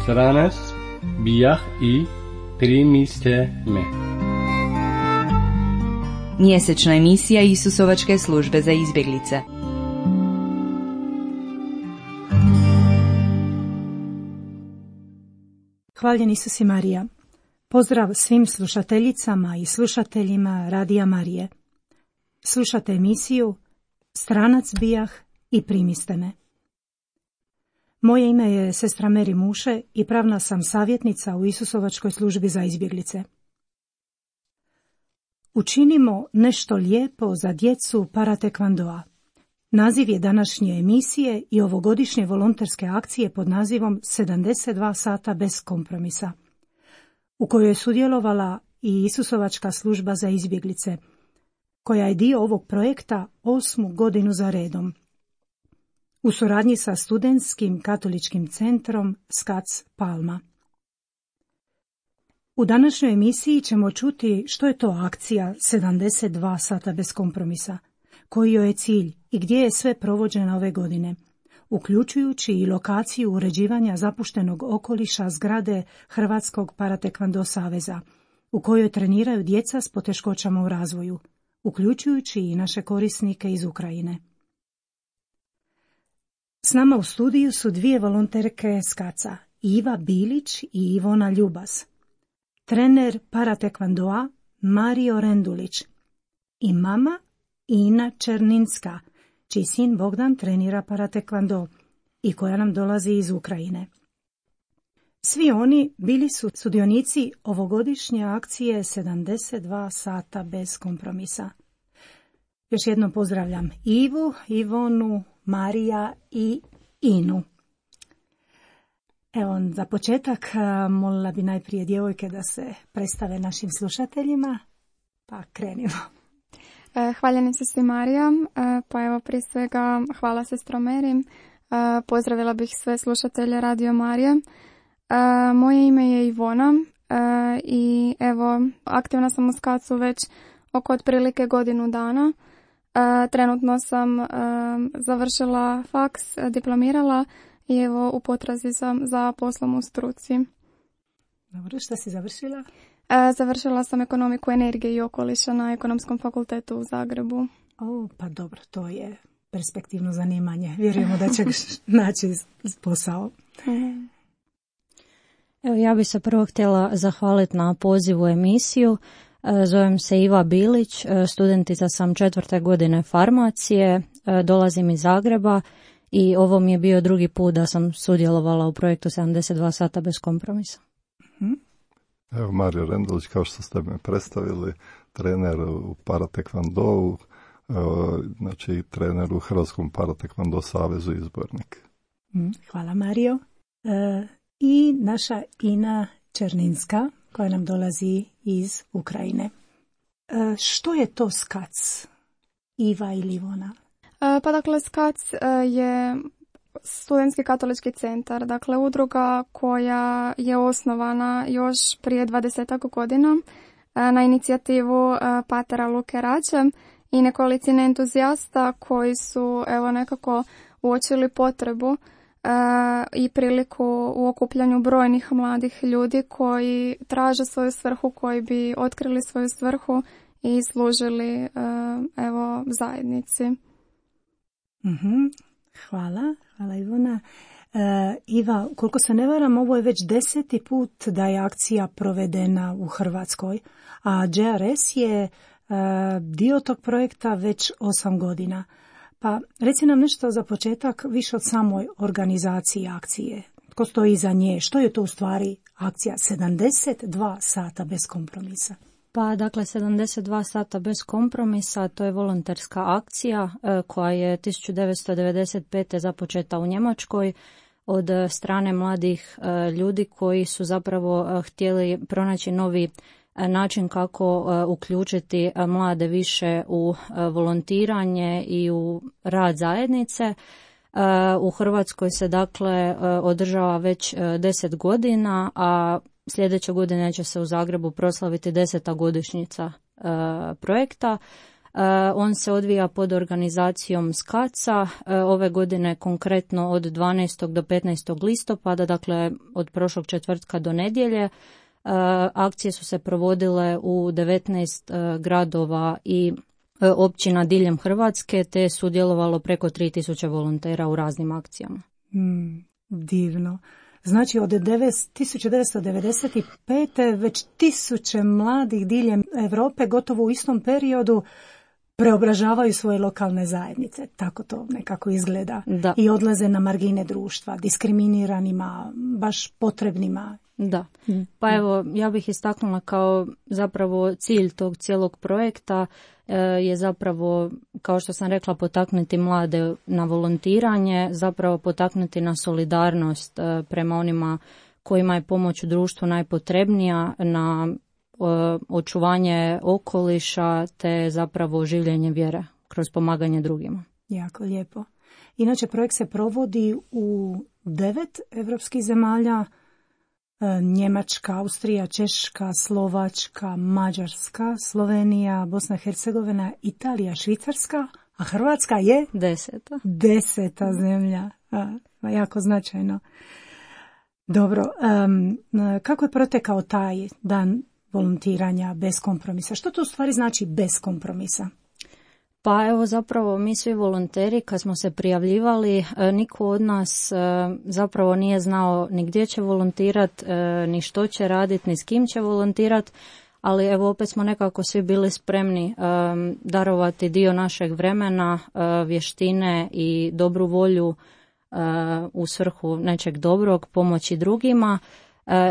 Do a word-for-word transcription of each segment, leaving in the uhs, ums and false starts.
Stranac bijah i primiste me. Mjesečna emisija Isusovačke službe za izbjeglice. Hvaljen Isus i Marija. Pozdrav svim slušateljicama i slušateljima Radija Marije. Slušate emisiju Stranac bijah i primiste me. Moje ime je sestra Meri Muše i pravna sam savjetnica u Isusovačkoj službi za izbjeglice. Učinimo nešto lijepo za djecu paratekvandoa. Naziv je današnje emisije i ovogodišnje volonterske akcije pod nazivom sedamdeset dva sata bez kompromisa, u kojoj je sudjelovala i Isusovačka služba za izbjeglice, koja je dio ovog projekta osmu godinu za redom, u suradnji sa studentskim katoličkim centrom Skac Palma. U današnjoj emisiji ćemo čuti što je to akcija sedamdeset dva sata bez kompromisa, koji joj je cilj i gdje je sve provođena ove godine, uključujući i lokaciju uređivanja zapuštenog okoliša zgrade Hrvatskog paratekvando saveza, u kojoj treniraju djeca s poteškoćama u razvoju, uključujući i naše korisnike iz Ukrajine. S nama u studiju su dvije volonterke Skaca, Iva Bilić i Ivona Ljubas, trener paratekvandoa Mario Rendulić i mama Ina Černinska, čiji sin Bogdan trenira paratekvando i koja nam dolazi iz Ukrajine. Svi oni bili su sudionici ovogodišnje akcije sedamdeset dva sata bez kompromisa. Još jednom pozdravljam Ivu, Ivonu, Marija i Inu. Evo, za početak molila bi najprije djevojke da se predstave našim slušateljima, pa krenimo. Hvaljen sestri Marija, pa evo prije svega hvala sestro Meri, pozdravila bih sve slušatelje Radio Marije. Moje ime je Ivona i evo aktivna sam u Skacu već oko otprilike godinu dana. Trenutno sam završila faks, diplomirala i evo u potrazi sam za poslom u struci. Dobro, što si završila? Završila sam ekonomiku energije i okoliša na Ekonomskom fakultetu u Zagrebu. O, pa dobro, to je perspektivno zanimanje. Vjerujemo da ćeš naći posao. Evo, ja bih se prvo htjela zahvaliti na pozivu u emisiju. Zovem se Iva Bilić, studentica sam četvrte godine farmacije, dolazim iz Zagreba i ovo mi je bio drugi put da sam sudjelovala u projektu sedamdeset dva sata bez kompromisa. Evo Mario Rendulić, kao što ste me predstavili, trener u paratekvandou, znači trener u Hrvatskom paratekvando savezu izbornik. Hvala Mario. E, I naša Ina Černinska, koja nam dolazi iz Ukrajine. E, što je to Skac, Iva ili Ivona? E, pa dakle Skac je studentski katolički centar, dakle udruga koja je osnovana još prije dvadesetak godina na inicijativu patera Luke Rače i nekolicine entuzijasta koji su evo nekako uočili potrebu i priliku u okupljanju brojnih mladih ljudi koji traže svoju svrhu, koji bi otkrili svoju svrhu i služili evo zajednici. Mhm. Hvala, hvala Ivona. E, Iva, koliko se ne varam, ovo je već deseti put da je akcija provedena u Hrvatskoj, a J R S je e, dio tog projekta već osam godina. Pa reci nam nešto za početak više od samoj organizaciji akcije. Tko stoji iza nje? Što je to u stvari akcija sedamdeset dva sata bez kompromisa? Pa dakle, sedamdeset dva sata bez kompromisa, to je volonterska akcija e, koja je tisuću devetsto devedeset pete započeta u Njemačkoj od strane mladih e, ljudi koji su zapravo e, htjeli pronaći novi e, način kako e, uključiti e, mlade više u e, volontiranje i u rad zajednice. E, u Hrvatskoj se dakle e, održava već e, deset godina, a sljedeće godine će se u Zagrebu proslaviti deseta godišnjica projekta. On se odvija pod organizacijom SKAC-a, ove godine konkretno od dvanaestog do petnaestog listopada, dakle od prošlog četvrtka do nedjelje. Akcije su se provodile u devetnaest gradova i općina diljem Hrvatske, te je sudjelovalo preko tri tisuće volontera u raznim akcijama. Mm, divno. Znači od tisuću devetsto devedeset pete već tisuće mladih diljem Europe gotovo u istom periodu preobražavaju svoje lokalne zajednice. Tako to nekako izgleda. Da. I odlaze na margine društva, diskriminiranima, baš potrebnima. Da. Pa evo, ja bih istaknula kao zapravo cilj tog cijelog projekta e, je zapravo, kao što sam rekla, potaknuti mlade na volontiranje, zapravo potaknuti na solidarnost e, prema onima kojima je pomoć u društvu najpotrebnija, na e, očuvanje okoliša te zapravo življenje vjere kroz pomaganje drugima. Jako lijepo. Inače, projekt se provodi u devet evropskih zemalja, Njemačka, Austrija, Češka, Slovačka, Mađarska, Slovenija, Bosna i Hercegovina, Italija, Švicarska, a Hrvatska je deseta. Deseta zemlja. A, jako značajno. Dobro, um, kako je protekao taj dan volontiranja bez kompromisa? Što to u stvari znači bez kompromisa? Pa evo zapravo mi svi volonteri kad smo se prijavljivali, niko od nas zapravo nije znao ni gdje će volontirat, ni što će raditi, ni s kim će volontirat, ali evo opet smo nekako svi bili spremni darovati dio našeg vremena, vještine i dobru volju u svrhu nečeg dobrog, pomoći drugima.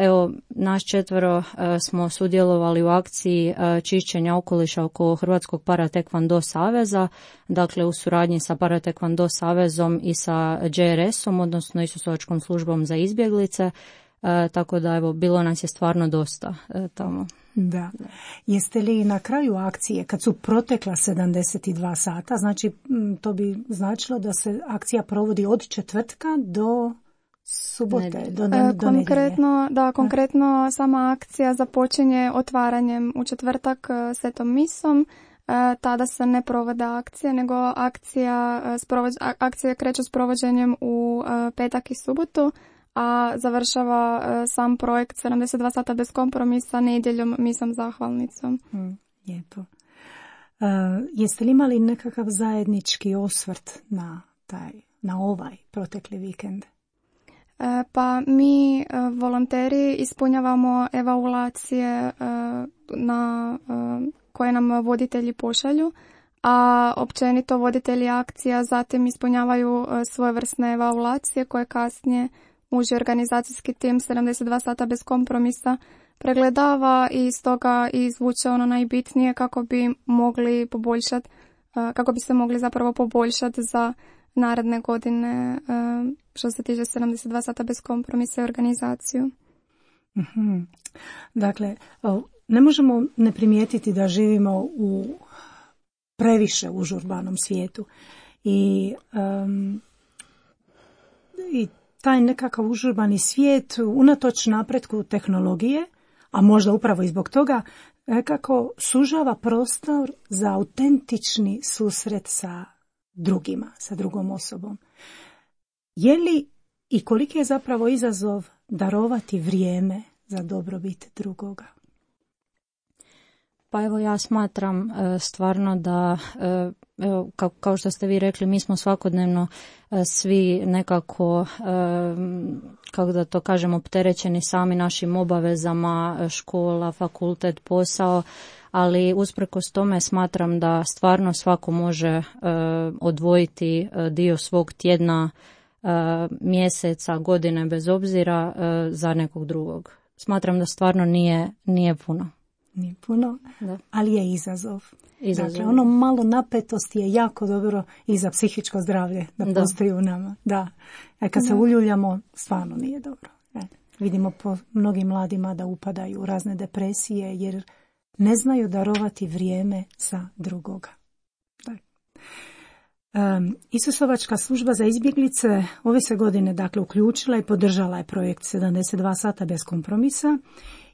Evo, naš četvero smo sudjelovali u akciji čišćenja okoliša oko Hrvatskog paratekvando saveza, dakle u suradnji sa paratekvando savezom i sa J R S-om, odnosno Isusovačkom službom za izbjeglice, tako da evo, bilo nas je stvarno dosta tamo. Da. Jeste li na kraju akcije, kad su protekla sedamdeset dva sata, znači to bi značilo da se akcija provodi od četvrtka do subote, do, do, do konkretno, da, konkretno sama akcija započinje otvaranjem u četvrtak svetom misom. Tada se ne provode akcije, nego akcija, akcija kreće s provođenjem u petak i subotu, a završava sam projekt sedamdeset dva sata bez kompromisa nedjeljom misom zahvalnicom. Hmm, lijepo. Uh, jeste li imali nekakav zajednički osvrt na taj, na ovaj protekli vikend? Pa mi volonteri ispunjavamo evaluacije na koje nam voditelji pošalju, a općenito voditelji akcija zatim ispunjavaju svojevrsne evaluacije koje kasnije uži organizacijski tim sedamdeset dva sata bez kompromisa pregledava i stoga izvuče ono najbitnije kako bi mogli poboljšati, kako bi se mogli zapravo poboljšati za naredne godine što se tiče sedamdeset dva sata bez kompromisa i organizaciju. Mm-hmm. Dakle, ne možemo ne primijetiti da živimo u previše užurbanom svijetu i, um, i taj nekakav užurbani svijet unatoč napretku tehnologije, a možda upravo i zbog toga, nekako sužava prostor za autentični susret sa drugima, sa drugom osobom. Je li i koliki je zapravo izazov darovati vrijeme za dobrobit drugoga? Pa evo ja smatram e, stvarno da, e, evo, kao, kao što ste vi rekli, mi smo svakodnevno e, svi nekako, e, kako da to kažem, opterećeni sami našim obavezama, škola, fakultet, posao, ali usprkos tome smatram da stvarno svako može e, odvojiti dio svog tjedna, e, mjeseca, godine, bez obzira e, za nekog drugog. Smatram da stvarno nije, nije puno. Nije puno, da. Ali je izazov. izazov. Dakle, ono malo napetosti je jako dobro i za psihičko zdravlje da, da. postoji u nama. Da. E, kad da. se uljuljamo, stvarno nije dobro. E, vidimo po mnogim mladima da upadaju u razne depresije jer ne znaju darovati vrijeme za drugoga. Um, Isusovačka služba za izbjeglice ove se godine dakle uključila i podržala je projekt sedamdeset dva sata bez kompromisa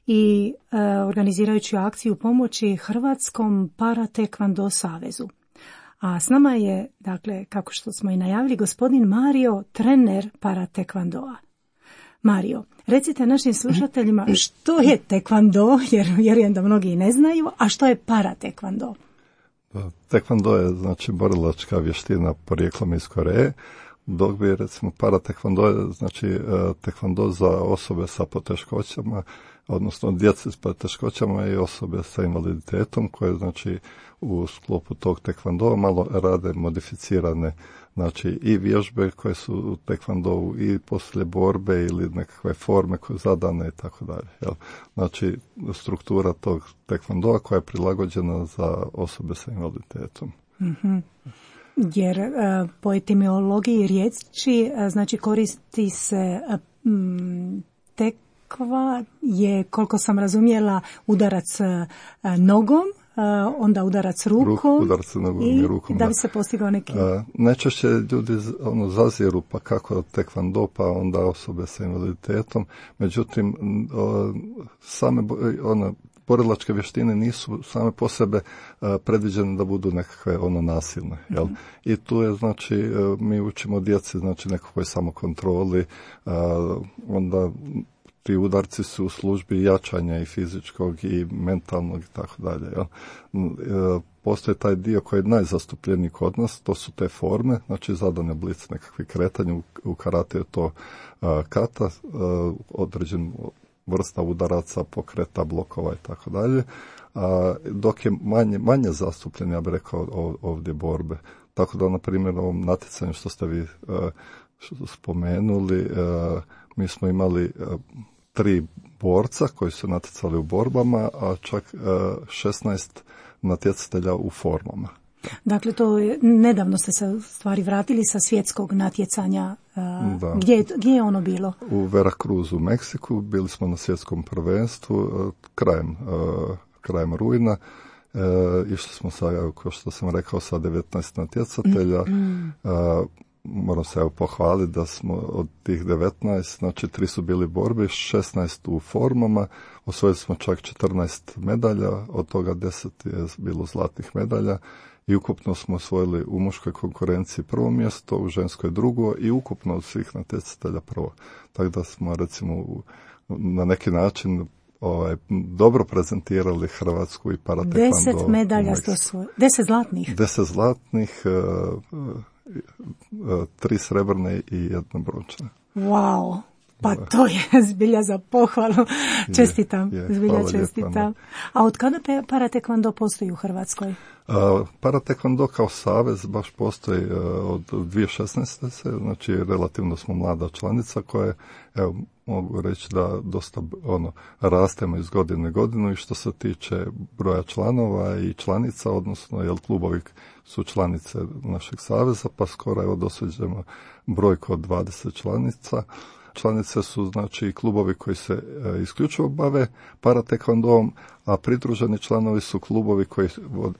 i e, organizirajući akciju pomoći Hrvatskom paratekvando savezu. A s nama je, dakle, kako što smo i najavili, gospodin Mario, trener paratekvandoa. Mario, recite našim slušateljima što je tekvando, jer vjerujem da mnogi ne znaju, a što je paratekvando? Tekvando je, znači, borilačka vještina porijeklom iz Koreje, dok bi, recimo, paratekvando je, znači, tekvando za osobe sa poteškoćama, odnosno djece s poteškoćama i osobe sa invaliditetom, koje, znači, u sklopu tog tekvandoa malo rade modificirane, znači, i vježbe koje su u tekvandovu i poslije borbe ili nekakve forme koje zadane i tako dalje. Jel? Znači, struktura tog tekvandoa koja je prilagođena za osobe sa invaliditetom. Mm-hmm. Jer uh, po etimologiji riječi, uh, znači, koristi se uh, m, tekva je, koliko sam razumjela, udarac uh, nogom, Uh, onda udarac rukom, Ruk, udarac nogom i, i rukom, da bi se postigao neki... Uh, najčešće ljudi ono, zaziru pa kako tekvando, pa onda osobe sa invaliditetom. Međutim, uh, same ono, borilačke vještine nisu same po sebe uh, predviđene da budu nekakve ono nasilne. Jel? Mm-hmm. I tu je, znači, uh, mi učimo djeci, znači, nekakvoj samokontroli, uh, onda ti udarci su u službi jačanja i fizičkog i mentalnog i tako dalje. Postoji taj dio koji je najzastupljeniji kod nas, to su te forme, znači zadane oblici nekakvih kretanja, u karate je to uh, kata, uh, određen vrsta udaraca, pokreta, blokova i tako dalje, dok je manje, manje zastupljen, ja bih rekao, ovdje borbe. Tako da, na primjer, ovom natjecanju što ste vi uh, što spomenuli, uh, mi smo imali uh, tri borca koji su natjecali u borbama, a čak uh, šesnaest natjecatelja u formama. Dakle, to je, nedavno ste se u stvari vratili sa svjetskog natjecanja. Uh, gdje, je, gdje je ono bilo? U Veracruzu, u Meksiku. Bili smo na svjetskom prvenstvu uh, krajem, uh, krajem rujna. Uh, išli smo sa, kao što sam rekao, sa devetnaest natjecatelja. Mm. Uh, moram se evo pohvaliti da smo od tih devetnaest, znači tri su bili borbi, šesnaest u formama, osvojili smo čak četrnaest medalja, od toga deset je bilo zlatnih medalja i ukupno smo osvojili u muškoj konkurenciji prvo mjesto, u ženskoj drugo i ukupno od svih natjecatelja prvo. Tako da smo, recimo, na neki način ovaj, dobro prezentirali Hrvatsku i paratekvando. Deset medalja ste osvojili, deset zlatnih? Deset zlatnih, uh, tri srebrne i jedna brončana. Wow, pa to je zbilja za pohvalu. Čestitam, je, je, zbilja čestitam. A od kada paratekvando postoji u Hrvatskoj? Uh, paratekvando kao savez baš postoji uh, od dvije tisuće šesnaeste. Znači relativno smo mlada članica koja, evo, mogu reći da dosta ono, rastemo iz godine u godinu i što se tiče broja članova i članica, odnosno jel klubovi su članice našeg saveza, pa skoro evo dosuđemo brojku od dvadeset članica. Članice su, znači, klubovi koji se e, isključivo bave paratekvandom, a pridruženi članovi su klubovi koji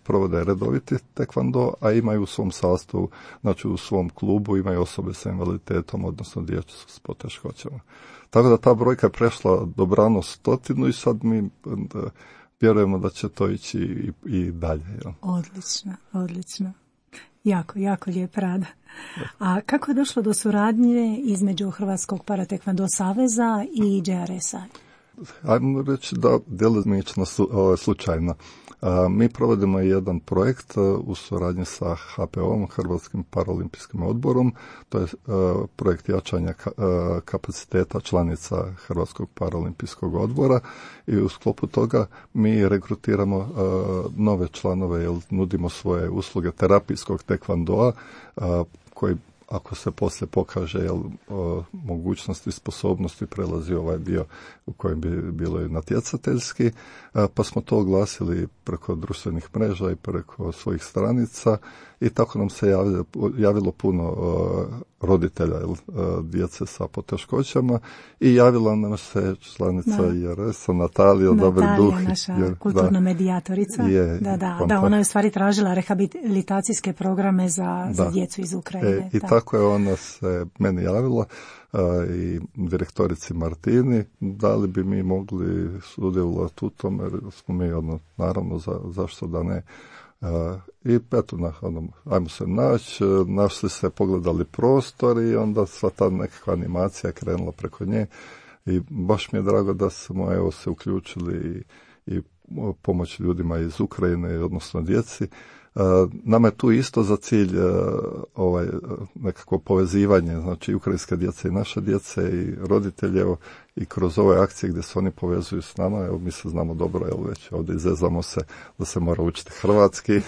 provode redoviti tekvando, a imaju u svom sastavu, znači u svom klubu imaju osobe sa invaliditetom, odnosno djecu s poteškoćama. Tako da ta brojka je prešla dobrano stotinu i sad mi da, vjerujemo da će to ići i, i dalje. Ja. Odlično, odlično. Jako, jako lijep rad. A kako je došlo do suradnje između Hrvatskog paratekvando saveza i J R S-a? Ajmo reći da djelomično slučajno. Mi provodimo jedan projekt u suradnji sa H P O-om, Hrvatskim paraolimpijskim odborom. To je projekt jačanja kapaciteta članica Hrvatskog paraolimpijskog odbora i u sklopu toga mi regrutiramo nove članove jer nudimo svoje usluge terapijskog tekvandoa koji, ako se poslije pokaže jel, o, mogućnosti i sposobnosti, prelazi ovaj dio u kojem bi bilo i natjecateljski, a, pa smo to oglasili preko društvenih mreža i preko svojih stranica i tako nam se javilo, javilo puno o, roditelja jel, o, djece sa poteškoćama i javila nam se članica J R S-a Natalija Dobriduh. Natalija, naša jer, kulturna da, medijatorica. Je, da, da, da, ona je u stvari tražila rehabilitacijske programe za, za djecu iz Ukrajine. E, I tako, tako je ona se meni javila i direktorici Martini, da li bi mi mogli sudjelovati u tome, jer smo mi ono, naravno za, zašto da ne. I eto, na, ono, ajmo se naći, našli se, pogledali prostor i onda sva ta nekakva animacija je krenula preko nje i baš mi je drago da smo evo se uključili i, i pomoć ljudima iz Ukrajine, odnosno djeci. Nama je tu isto za cilj ovaj, nekako povezivanje, znači ukrajinske djece i naše djece i roditelje, evo, i kroz ove akcije gdje se oni povezuju s nama, evo, mi se znamo dobro, evo, već ovdje izezamo se da se mora učiti hrvatski,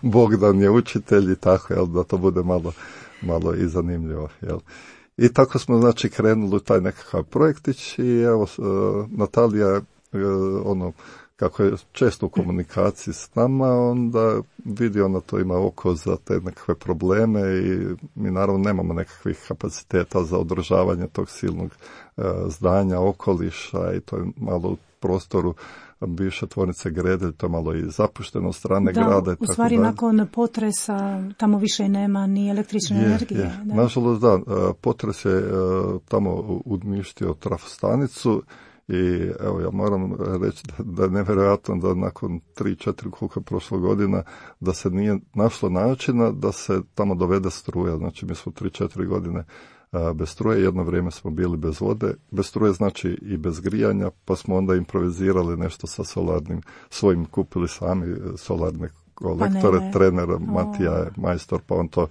Bogdan je učitelj i tako, jel, da to bude malo, malo i zanimljivo, jel. I tako smo, znači, krenuli u taj nekakav projektić i evo, Natalija, ono, kako je često u komunikaciji s nama, onda vidi ona to ima oko za te nekakve probleme i mi naravno nemamo nekakvih kapaciteta za održavanje tog silnog e, zdanja, okoliša i to je malo u prostoru bivše tvornice Gredelj, to je malo i zapušteno od strane da, grada. U stvari tako nakon potresa tamo više nema ni električne je, energije. Je. Da. Nažalost da, potres je tamo uništio trafostanicu. I evo ja moram reći da, da je nevjerojatno da nakon tri četiri koliko je prošlo godina da se nije našlo načina da se tamo dovede struja. Znači mi smo tri četiri godine a, bez struje, jedno vrijeme smo bili bez vode, bez struje znači i bez grijanja, pa smo onda improvizirali nešto sa solarnim, svojim kupili sami solarne kolektore, Panele. trener Matija je majstor, pa on to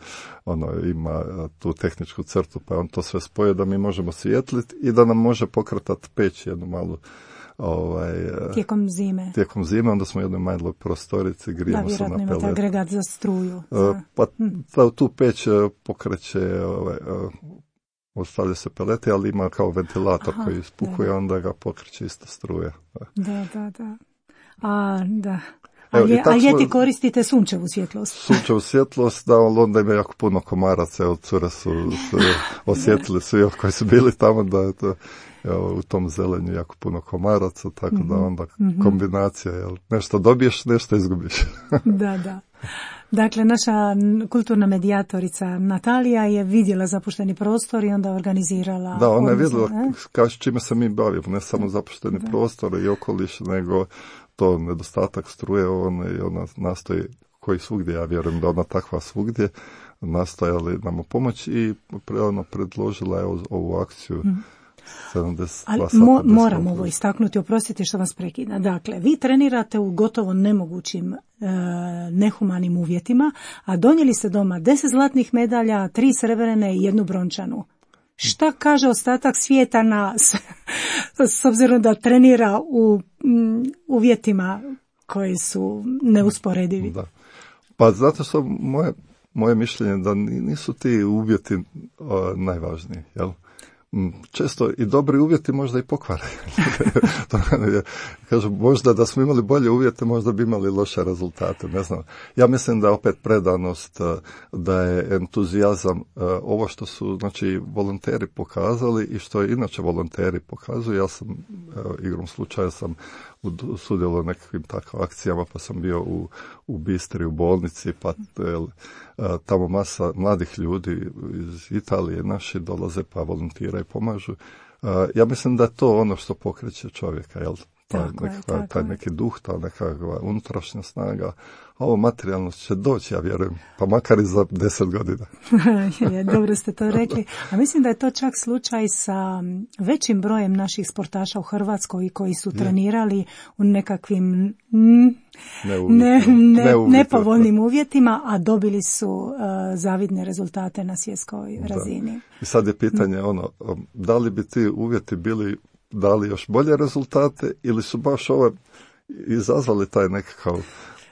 ono, ima tu tehničku crtu, pa on to sve spoje da mi možemo svijetliti i da nam može pokretati peć jednu malu ovaj, tijekom zime. Tijekom zime, onda smo u jednoj maloj prostorici, grijemo se na Da, vjerojatno imate pelet. agregat za struju. Uh, Za... pa ta, tu peć pokreće, ovaj, uh, ostavlja se pelete, ali ima kao ventilator Aha, koji ispukuje, da. onda ga pokreće isto struje. Da, da, da. A, da. A, Evo, je, tako a ljeti smo- koristite sunčevu svjetlost. Sunčevu svjetlost, da, ali onda ima jako puno komaraca, evo, cure su, su osjetili svi evo, koji su bili tamo, da je to, evo, u tom zelenju jako puno komaraca, tako da onda kombinacija, jel, nešto dobiješ, nešto izgubiš. Da, da. Dakle, naša kulturna medijatorica Natalija je vidjela zapušteni prostor i onda organizirala... Da, ona je odnosno, vidjela ne? kao čime se mi bavimo, ne samo zapušteni prostor i okoliš, nego to nedostatak struje, ona, ona nastoji, koji svugdje, ja vjerujem da ona takva svugdje, nastojali nam pomoći i pre, ono, predložila je ovu akciju sedamdeset dva Ali sata mo, bez moram kompromisa. ovo istaknuti, oprostite što vas prekidam. Dakle, vi trenirate u gotovo nemogućim e, nehumanim uvjetima, a donijeli ste doma deset zlatnih medalja, tri srebrene i jednu brončanu. Šta kaže ostatak svijeta nas, s obzirom da trenira u m, uvjetima koji su neusporedivi? Da. Pa zato što moje, moje mišljenje da nisu ti uvjeti uh, najvažniji, jel? Često i dobri uvjeti možda i pokvare. Kažem, možda da smo imali bolje uvjete, možda bi imali loše rezultate, ne znam. Ja mislim da je opet predanost, da je entuzijazam, ovo što su, znači, volonteri pokazali i što je inače volonteri pokazuju. Ja sam, evo, igrom slučaja sam sudjelovao u nekakvim takvim akcijama, pa sam bio u, u Bistri, u bolnici, pa jel, tamo masa mladih ljudi iz Italije, naši dolaze pa volontiraju i pomažu. Ja mislim da je to ono što pokreće čovjeka, jel? Taj, Tako je, nekakva, tako taj je. neki duh, ta nekakva unutrašnja snaga. A ovo materijalno će doći, ja vjerujem, pa makar i za deset godina. Je, dobro ste to rekli. A mislim da je to čak slučaj sa većim brojem naših sportaša u Hrvatskoj koji su trenirali u nekakvim mm, Ne, ne, ne, ne uvjetno. nepovoljnim uvjetima, a dobili su uh, zavidne rezultate na svjetskoj razini. I sad je pitanje ono, da li bi ti uvjeti bili dali još bolje rezultate ili su baš ove izazvali taj nekakav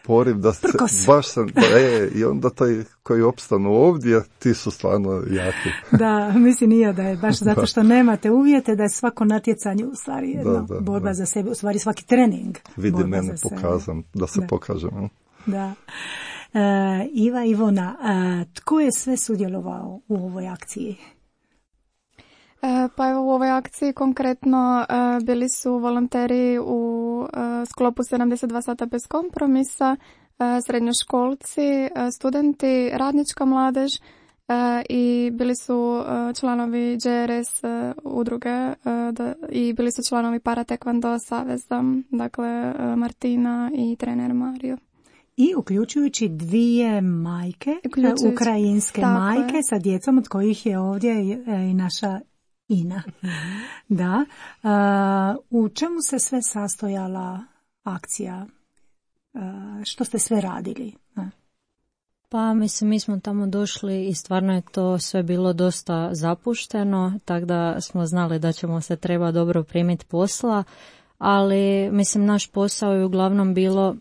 poriv da se Prkos. baš se, e, i onda taj koji opstanu ovdje, ti su stvarno jaki. Da, mislim i ja da je baš zato što nemate uvjete, da je svako natjecanje u stvari jedna Da, da, borba da. za sebe, u stvari svaki trening. Vidi borba mene, za sebe. pokazam, da se Da. pokažem. jel? Da. E, Iva, Ivona, e, tko je sve sudjelovao u ovoj akciji? E, Pa evo u ovoj akciji konkretno e, bili su volonteri u e, sklopu sedamdeset dva sata bez kompromisa, e, srednjoškolci, e, studenti, radnička mladež i bili su članovi J R S udruge da, i bili su članovi Para Taekwondo saveza, dakle Martina i trener Mario. I uključujući dvije majke, Uključujući, ukrajinske majke je. Sa djecom od kojih je ovdje i naša Ina. Mm-hmm. Da. Uh, u čemu se sve sastojala akcija? Uh, što ste sve radili? Uh. Pa mislim, mi smo tamo došli i stvarno je to sve bilo dosta zapušteno, tako da smo znali da ćemo se treba dobro primiti posla, ali mislim naš posao je uglavnom bilo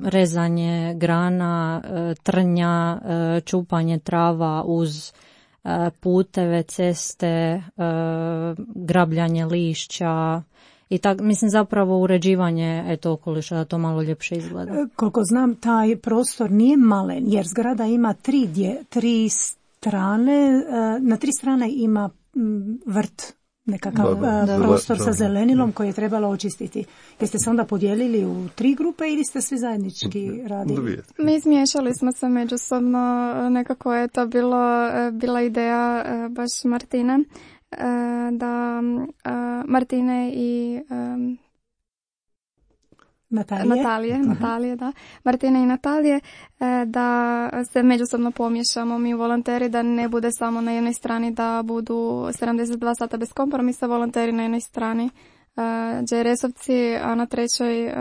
rezanje grana, trnja, čupanje trava uz puteve, ceste, grabljanje lišća i tak, mislim zapravo uređivanje eto okoliša da to malo ljepše izgleda. Koliko znam, taj prostor nije malen jer zgrada ima tri, dje, tri strane, na tri strane ima vrt. Nekakav da, da, prostor da, sa zelenilom koji je trebalo očistiti. Jeste se onda podijelili u tri grupe ili ste svi zajednički radili? Mi izmiješali smo se međusobno, nekako je to bilo, bila ideja baš Martine, da Martine i Natalije. Natalije, Natalije, da. Martine i Natalije, da se međusobno pomiješamo mi volonteri, da ne bude samo na jednoj strani da budu sedamdeset dva sata bez kompromisa volonteri na jednoj strani J R S-ovci, a na trećoj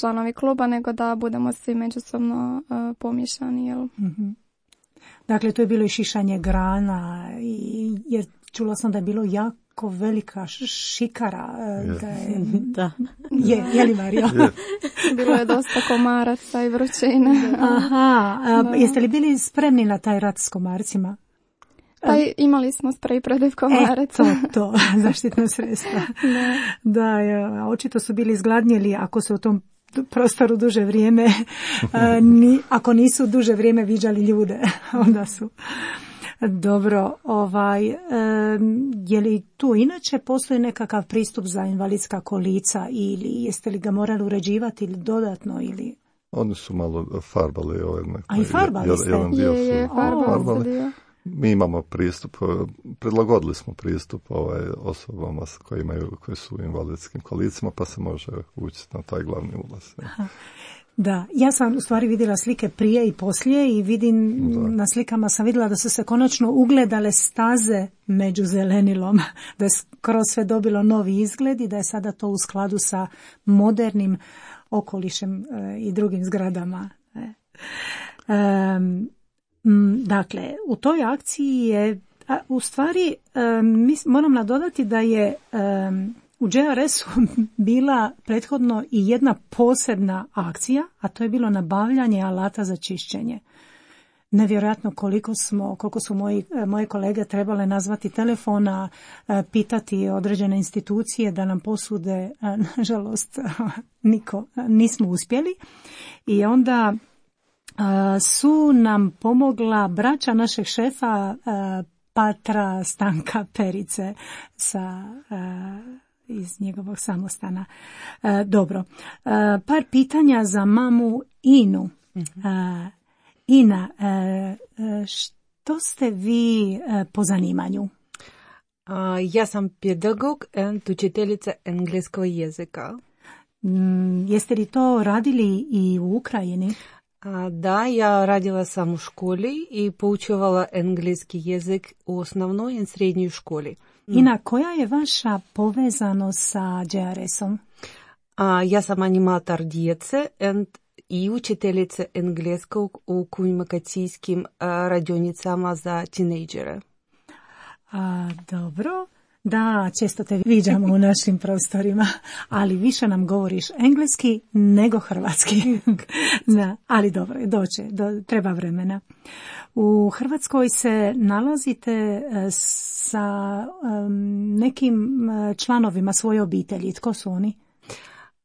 članovi kluba, nego da budemo svi međusobno pomiješani. Jel? Mm-hmm. Dakle, to je bilo i šišanje grana, jer čula sam da je bilo jako velika šikara. Yes. Da je, da. Je, je li Mario? Yes. Bilo je dosta komaraca i vrućine. Aha, a, jeste li bili spremni na taj rat s komarcima? Pa imali smo sprej protiv komaraca. E, to, to, zaštitna sredstva. Da, da je, očito su bili izgladnjeli ako su u tom prostoru duže vrijeme, a, ni, ako nisu duže vrijeme viđali ljude, onda su... Dobro, ovaj, e, je li tu inače postoji nekakav pristup za invalidska kolica ili jeste li ga morali uređivati ili dodatno ili... Oni su malo farbali ovaj. A i farbali ste? Jedan dio je, je, su farbali. farbali. Mi imamo pristup, predlagodili smo pristup ovaj, osobama koji, imaju, koji su u invalidskim kolicima pa se može ući na taj glavni ulaz. Ja. Da, ja sam u stvari vidjela slike prije i poslije i vidim da. Na slikama sam vidjela da su se konačno ugledale staze među zelenilom, da je skroz sve dobilo novi izgled i da je sada to u skladu sa modernim okolišem e, i drugim zgradama. E. E, m, dakle, u toj akciji je, a, u stvari e, mis, moram nadodati da je e, u J R S-u bila prethodno i jedna posebna akcija, a to je bilo nabavljanje alata za čišćenje. Nevjerojatno koliko smo, koliko su moji, moje kolege trebale nazvati telefona, pitati određene institucije da nam posude, nažalost niko, nismo uspjeli. I onda su nam pomogla braća našeg šefa Patra Stanka Perice sa iz njegovog samostana. E, dobro. E, par pitanja za mamu Inu. E, Ina, e, što ste vi e, po zanimanju? Ja sam pedagog i učiteljica engleskog jezika. Mm, jeste li to radili i u Ukrajini? Da, ja radila sam u školi i poučavala engleski jezik u osnovnoj i srednjoj školi. Ina, koja je vaša povezanost sa J R S-om? Ja sam animator djece i učiteljica engleskog u komunikacijskim radionicama za tinejdžere. A, dobro. Da, često te viđamo u našim prostorima, ali više nam govoriš engleski nego hrvatski. Da, ali dobro, doće, do, treba vremena. U Hrvatskoj se nalazite sa um, nekim članovima svoje obitelji. Tko su oni?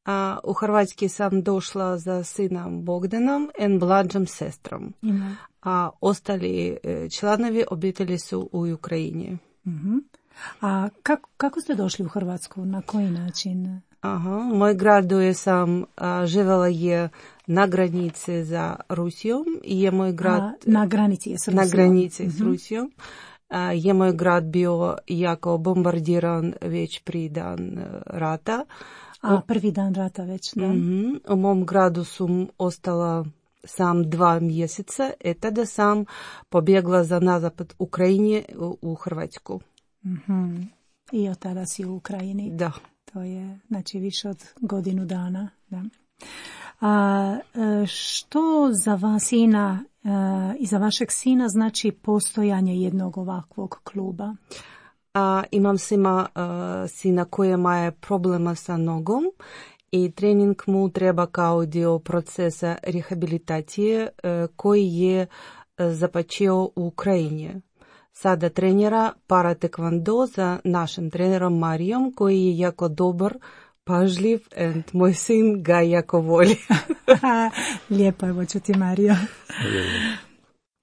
A, u Hrvatskoj sam došla za sinom Bogdanom i mlađom sestrom. Mm-hmm. A ostali članovi obitelji su u Ukrajini. Mm-hmm. A kako, kako ste došli u Hrvatsku? Na koji način? Aha, moj grad gdje sam a, živjela je na granici za Rusijom. Je moj grad... A, na granici je s Rusijom. Na granici mm-hmm. s Rusijom. A, je moj grad bio jako bombardiran već pri dan rata. A, prvi dan rata već, da. Mm-hmm. U mom gradu sam ostala sam dva mjeseca, i tada sam pobjegla za na zapad Ukrajine u, u Hrvatsku. Mm-hmm. I od tada si u Ukrajini. Da. To je, znači, više od godinu dana. Da. A što za vas, sina, i za vašeg sina znači postojanje jednog ovakvog kluba? A, imam sima, a, sina koji ima problema sa nogom i trening mu treba kao dio procesa rehabilitacije a, koji je a, započeo u Ukrajini. Sada trenira para tekvando za našim trenerom Marijom koji je jako dobar, pažljiv and moj sin ga jako voli. Lijepo je čuti, Mario.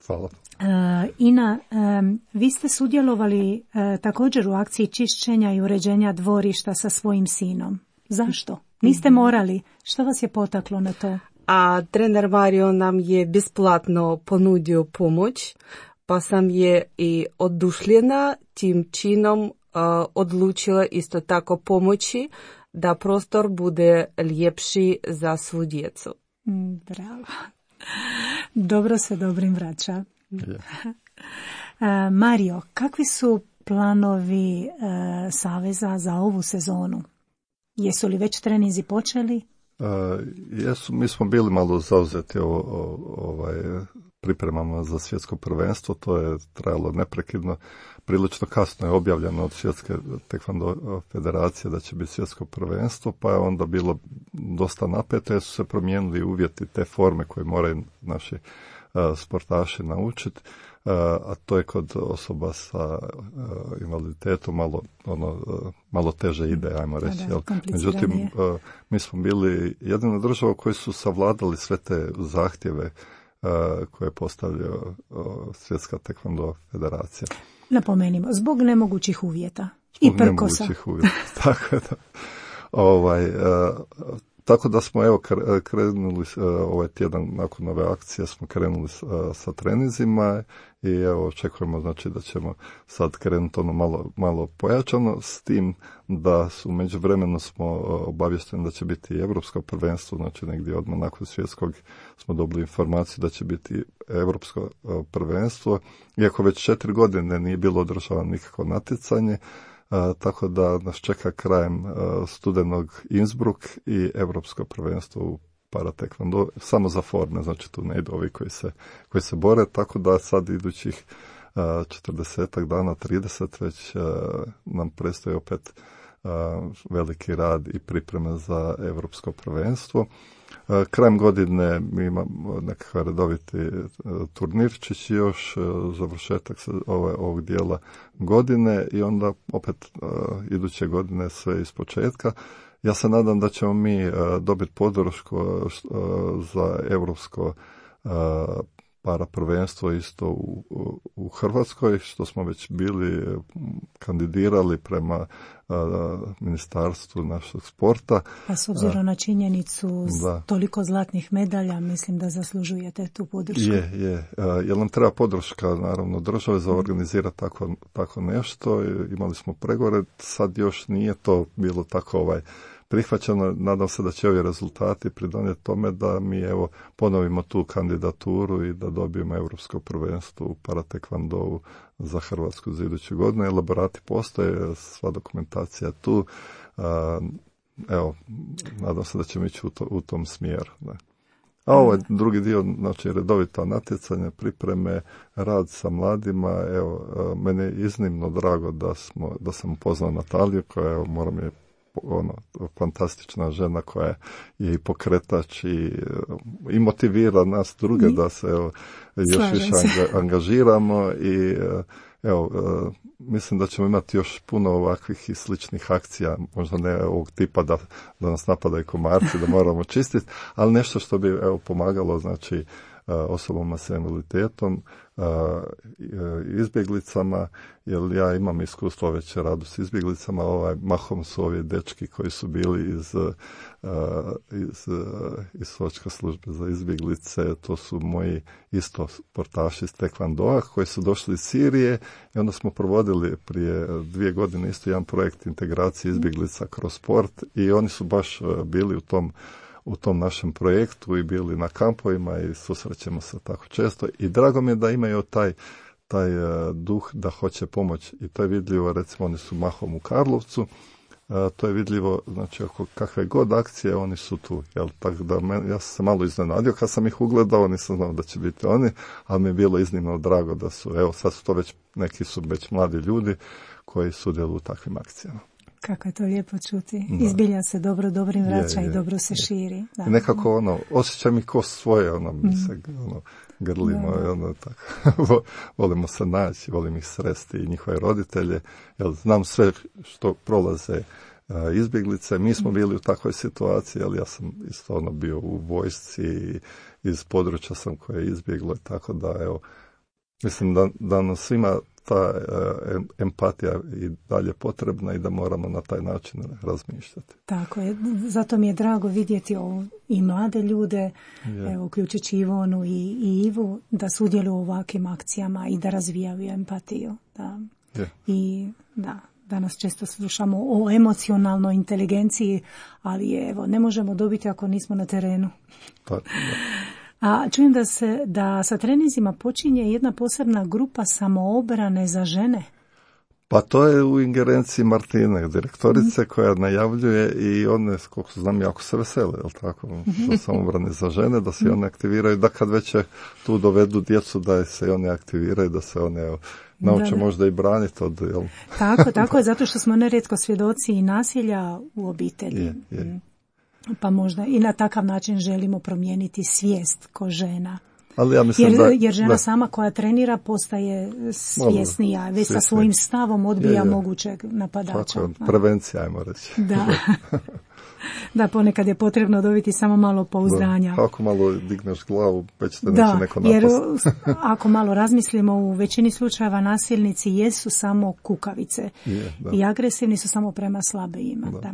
Hvala. Uh, Ina, um, vi ste sudjelovali uh, također u akciji čišćenja i uređenja dvorišta sa svojim sinom. Zašto? Niste morali. Što vas je potaklo na to? A trener Mario nam je besplatno ponudio pomoć, pa sam je i odušljena tim činom uh, odlučila isto tako pomoći da prostor bude ljepši za svu djecu. Mm, bravo. Dobro se dobrim vraća. Yeah. uh, Mario, kakvi su planovi uh, Saveza za ovu sezonu? Jesu li već treninzi počeli? Uh, jesu, mi smo bili malo zauzeti o, o, ovaj, pripremama za svjetsko prvenstvo, to je trajalo neprekidno. Prilično kasno je objavljeno od Svjetske tekvando federacije da će biti svjetsko prvenstvo, pa je onda bilo dosta napeto jer su se promijenili uvjeti te forme koje moraju naši uh, sportaši naučiti, uh, a to je kod osoba sa uh, invaliditetom malo, ono, uh, malo teže ide, ajmo reći. Da, da, međutim, uh, mi smo bili jedina država koji su savladali sve te zahtjeve uh, koje je postavljao uh, Svjetska tekvando federacija. Napomenimo, zbog nemogućih uvjeta. Zbog I prkosa. nemogućih uvjeta. Tako da, ovaj, uh, tako da smo evo krenuli uh, ovaj tjedan nakon ove akcije smo krenuli uh, sa treninzima i evo očekujemo znači da ćemo sad krenuti ono malo, malo pojačano s tim da su međuvremeno smo uh, obavješteni da će biti i Europsko prvenstvo, znači negdje odmah nakon svjetskog smo dobili informaciju da će biti Europsko uh, prvenstvo, iako već četiri godine nije bilo održavano nikakvo natjecanje. Uh, tako da nas čeka krajem uh, studenog Innsbruck i Europsko prvenstvo u paratekvando, samo za forme, znači tu ne idu ovi koji se, koji se bore, tako da sad idućih uh, četrdesetak dana, trideset već uh, nam predstoji opet uh, veliki rad i pripreme za Europsko prvenstvo. Uh, krajem godine mi imamo nekakav redoviti uh, turnirčić još, uh, završetak se, ove, ovog dijela godine i onda opet uh, iduće godine sve iz početka. Ja se nadam da ćemo mi uh, dobiti podršku uh, za Europsko uh, para prvenstvo isto u, u, u Hrvatskoj, što smo već bili kandidirali prema uh, ministarstvu našeg sporta. Pa s obzirom na činjenicu da. Toliko zlatnih medalja, mislim da zaslužujete tu podršku. Je, je. Uh, jer nam treba podrška, naravno, države za organizirati tako, tako nešto. Imali smo pregovore, sad još nije to bilo tako ovaj prihvaćeno. Nadam se da će ovi rezultati pridonijeti tome da mi evo ponovimo tu kandidaturu i da dobijemo Europsko prvenstvo u paratekvandovu za Hrvatsku za iduću godinu. Elaborati postoje, sva dokumentacija tu. Evo, nadam se da ćemo ići u, to, u tom smjeru. Da. A ovo je drugi dio, znači redovita natjecanja, pripreme, rad sa mladima. Evo, meni je iznimno drago da, smo, da sam upoznao Nataliju koja, evo, moram je ono, fantastična žena koja je i pokretač i, i motivira nas druge I, da se evo, još više anga, angažiramo i evo, mislim da ćemo imati još puno ovakvih i sličnih akcija, možda ne ovog tipa da, da nas napadaju komarci, da moramo čistiti, ali nešto što bi evo, pomagalo, znači osobama s invaliditetom, izbjeglicama, jer ja imam iskustvo već radu s izbjeglicama, ovaj, mahom su ovi dečki koji su bili iz, iz, iz Sočka službe za izbjeglice, to su moji isto sportaši iz Tekvandoa koji su došli iz Sirije i onda smo provodili prije dvije godine isto jedan projekt integracije izbjeglica kroz sport i oni su baš bili u tom u tom našem projektu i bili na kampovima i susrećemo se tako često i drago mi je da imaju taj, taj uh, duh da hoće pomoći i to je vidljivo, recimo oni su mahom u Karlovcu, uh, to je vidljivo, znači ako kakve god akcije oni su tu, jel, tako da men, ja sam se malo iznenadio kad sam ih ugledao, nisam znao da će biti oni, ali mi je bilo iznimno drago da su, evo sad su to već, neki su već mladi ljudi koji sudjeluju u takvim akcijama. Kako je to lijepo čuti. Da. Izbilja se dobro, dobrim vraća je, je, i dobro se je. širi. Da. I nekako ono, osjećam i ko svoje, ono, mi se ono, grlimo, da, da. ono, tako, volimo se naći, volim ih sresti i njihove roditelje, jer znam sve što prolaze a, izbjeglice. Mi smo bili u takvoj situaciji, ali ja sam isto ono bio u vojsci i iz područja sam koje je izbjeglo, tako da, evo, mislim da, da nam svima ta uh, empatija i dalje potrebna i da moramo na taj način razmišljati. Tako je, zato mi je drago vidjeti ovo, i mlade ljude, yeah. evo, uključujući Ivonu i, i Ivu, da sudjeluju u ovakvim akcijama i da razvijaju empatiju. Da. Yeah. I da, danas često slušamo o emocionalnoj inteligenciji, ali evo, ne možemo dobiti ako nismo na terenu. Tako, da. A čujem da se da sa treninzima počinje jedna posebna grupa samoobrane za žene. Pa to je u ingerenciji Martine, direktorice, mm. koja najavljuje i one, koliko znam, jako se vesele, jel tako, mm-hmm. za samobrane za žene, da se mm. one aktiviraju, da kad već tu dovedu djecu, da se i one aktiviraju, da se one nauče da, da. možda i braniti od, jel? Tako, tako je, zato što smo nerijetko svjedoci i nasilja u obitelji. Je, je. Pa možda i na takav način želimo promijeniti svijest ko žena. Ali ja mislim jer, da, jer žena da. sama koja trenira postaje svjesnija, već sa svojim stavom odbija je, je. mogućeg napadača. Tako, prevencija, ajmo reći. Da. Da, ponekad je potrebno dobiti samo malo pouzdanja. Da, ako malo digneš glavu, već te neće neko napasti. Jer ako malo razmislimo, u većini slučajeva nasilnici jesu samo kukavice. Je, i agresivni su samo prema slabijima. Da. Da.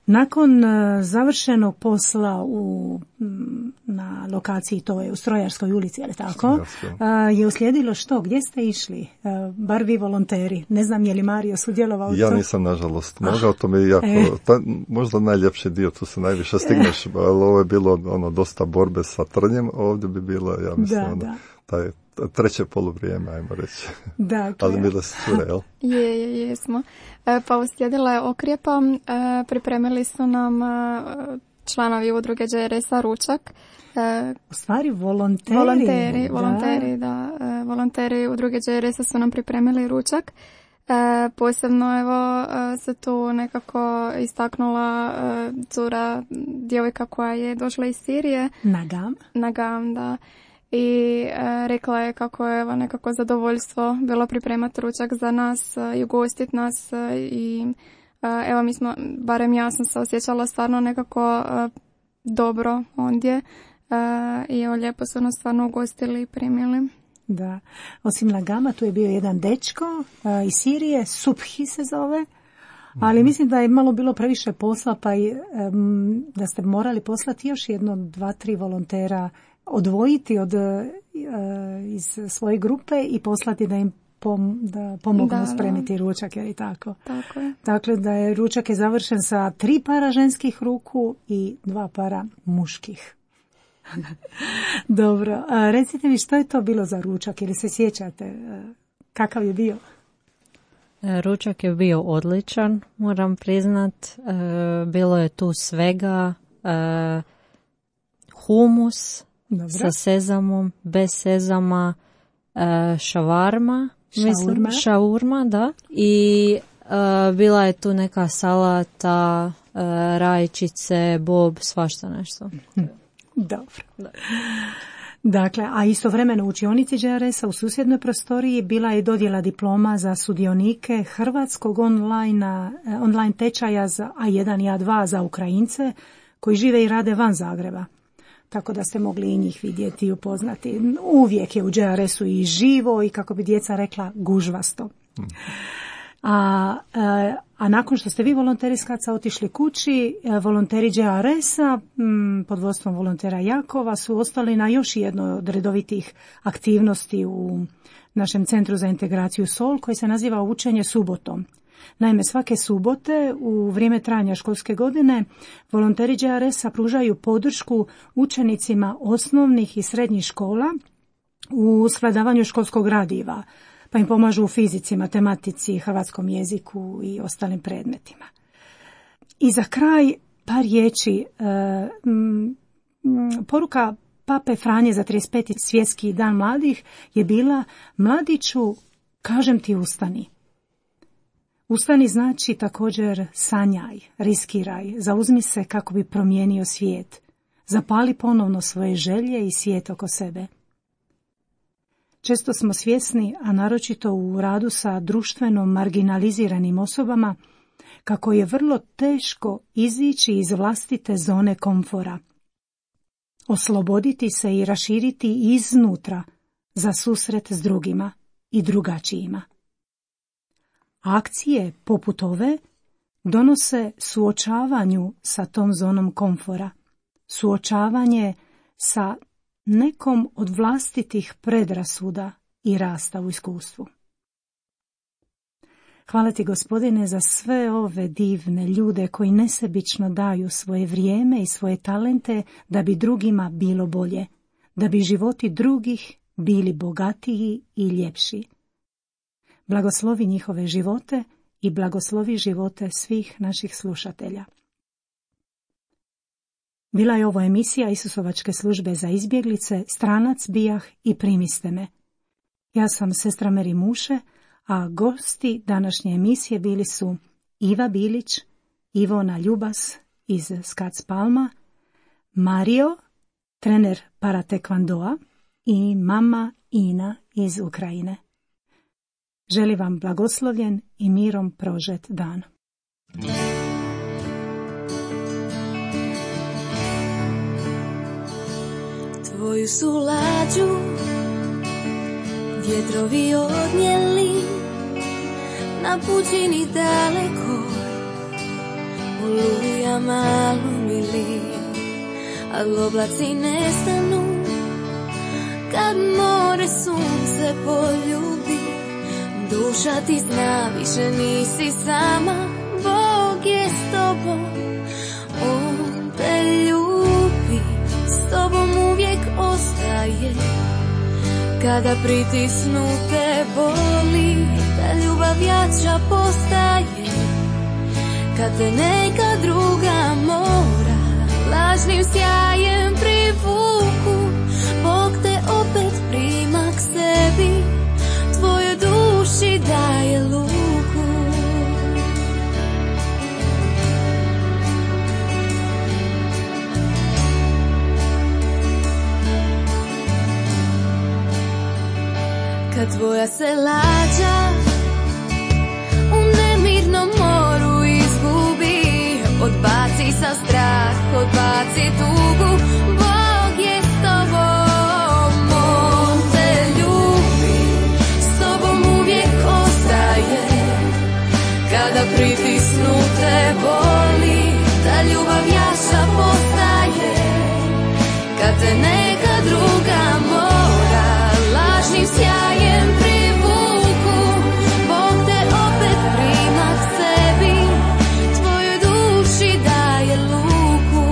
Nakon uh, završenog posla u, m, na lokaciji, to je u Strojarskoj ulici, ali tako, uh, je uslijedilo što? Gdje ste išli? Uh, bar vi volonteri. Ne znam je li Mario sudjelovao u Ja to? Nisam, nažalost. Mogao, to mi je jako, e. ta, možda najljepši dio, tu se najviše stigneš, ali ovo je bilo ono, dosta borbe sa trnjem, ovdje bi bilo, ja mislim, da, ono, da. taj treće poluvrijeme, ajmo reći. Dakle. Ali bile su cure, jel? Je, je, jesmo. E, pa uslijedila je okrijepa, e, pripremili su nam e, članovi udruge Đ R S-a ručak. E, U stvari volonteri. Volonteri, da. volonteri, da. E, volonteri udruge Đ R S-a su nam pripremili ručak. E, posebno evo se tu nekako istaknula e, cura, djevojka koja je došla iz Sirije. Nagam. Nagam, da. I e, rekla je kako je evo nekako zadovoljstvo bilo pripremati ručak za nas e, i ugostiti nas e, i e, evo mi smo, barem ja sam se osjećala stvarno nekako e, dobro ondje e, i evo lijepo su nas stvarno ugostili i primili. Da, osim Nagama tu je bio jedan dečko e, iz Sirije, Subhi se zove, ali mislim da je malo bilo previše posla pa i, e, da ste morali poslati još jedno, dva, tri volontera odvojiti od, iz svoje grupe i poslati da im pom, da pomognu da, spremiti da. ručak, je li tako? Tako je. Dakle, da je ručak je završen sa tri para ženskih ruku i dva para muških. Dobro, a recite mi što je to bilo za ručak, ili se sjećate kakav je bio? Ručak je bio odličan, moram priznat. Bilo je tu svega, humus, dobro. Sa sezamom, bez sezama, šavarma, šaurma. mislim, šaurma, da. I uh, bila je tu neka salata, uh, rajčice, bob, svašta nešto. Dobro. Da. Dakle, a istovremeno u učionici Đ R S-a u susjednoj prostoriji bila je dodjela diploma za sudionike hrvatskog online, online tečaja za A jedan i A dva za Ukrajince koji žive i rade van Zagreba. tako da ste mogli i njih vidjeti i upoznati. Uvijek je u J R S-u i živo i, kako bi djeca rekla, gužvasto. A, a nakon što ste vi volonteri iz Kaca otišli kući, volonteri J R S-a pod vodstvom volontera Jakova su ostali na još jednoj od redovitih aktivnosti u našem centru za integraciju Sol, koji se naziva Učenje subotom. Naime, svake subote u vrijeme trajanja školske godine volonteri J R S-a pružaju podršku učenicima osnovnih i srednjih škola u svladavanju školskog gradiva, pa im pomažu u fizici, matematici, hrvatskom jeziku i ostalim predmetima. I za kraj par riječi. E, m, m, poruka Pape Franje za trideset peti svjetski dan mladih je bila: mladiću, kažem ti ustani. Ustani znači također sanjaj, riskiraj, zauzmi se kako bi promijenio svijet. Zapali ponovno svoje želje i svijet oko sebe. Često smo svjesni, a naročito u radu sa društveno marginaliziranim osobama, kako je vrlo teško izići iz vlastite zone komfora. Osloboditi se i raširiti iznutra za susret s drugima i drugačijima. Akcije poput ove donose suočavanju sa tom zonom komfora, suočavanje sa nekom od vlastitih predrasuda i rasta u iskustvu. Hvala ti, Gospodine, za sve ove divne ljude koji nesebično daju svoje vrijeme i svoje talente da bi drugima bilo bolje, da bi životi drugih bili bogatiji i ljepši. Blagoslovi njihove živote i blagoslovi živote svih naših slušatelja. Bila je ovo emisija Isusovačke službe za izbjeglice, stranac bijah i primiste me. Ja sam sestra Meri Muše, a gosti današnje emisije bili su Iva Bilić, Ivona Ljubas iz Skac Palma, Mario, trener paratekvandoa i mama Ina iz Ukrajine. Želim vam blagoslovljen i mirom prožet dan. Tvoju su lađu vjetrovi odnijeli na puđini daleko, olujama alumili, ali oblaci nestanu kad more sunce poljubi. Duša ti zna, više nisi sama, Bog je s tobom, On te ljubi, s tobom uvijek ostaje. Kada pritisnu te boli, ta ljubav jača postaje. Kad te neka druga mora lažnim sjajem privuku, Bog te opet prima k sebi, tvojoj duši daje luku. Kad tvoja se lađa u nemirnom moru izgubi, odbaci sa strah, odbaci tugu, Bog je s tobom, On te ljubi, s tobom uvijek ostaje. Kada pritisnu te boli, ta ljubav jača postaje. Kad te neka druga mora lažnim sjajem privuku, Bog te opet prima k sebi, tvojoj duši daje luku.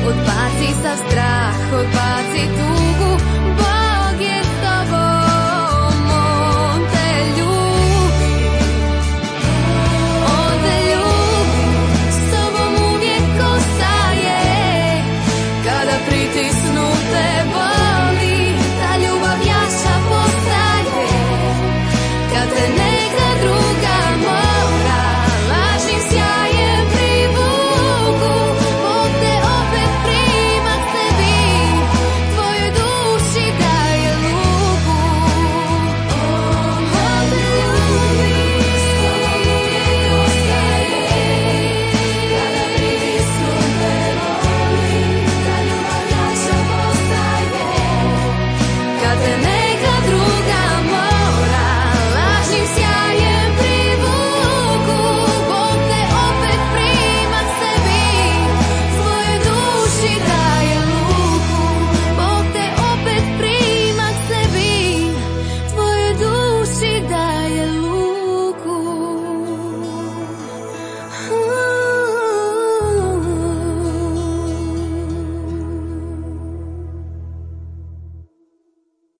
Odbaci sav strah, odbaci tu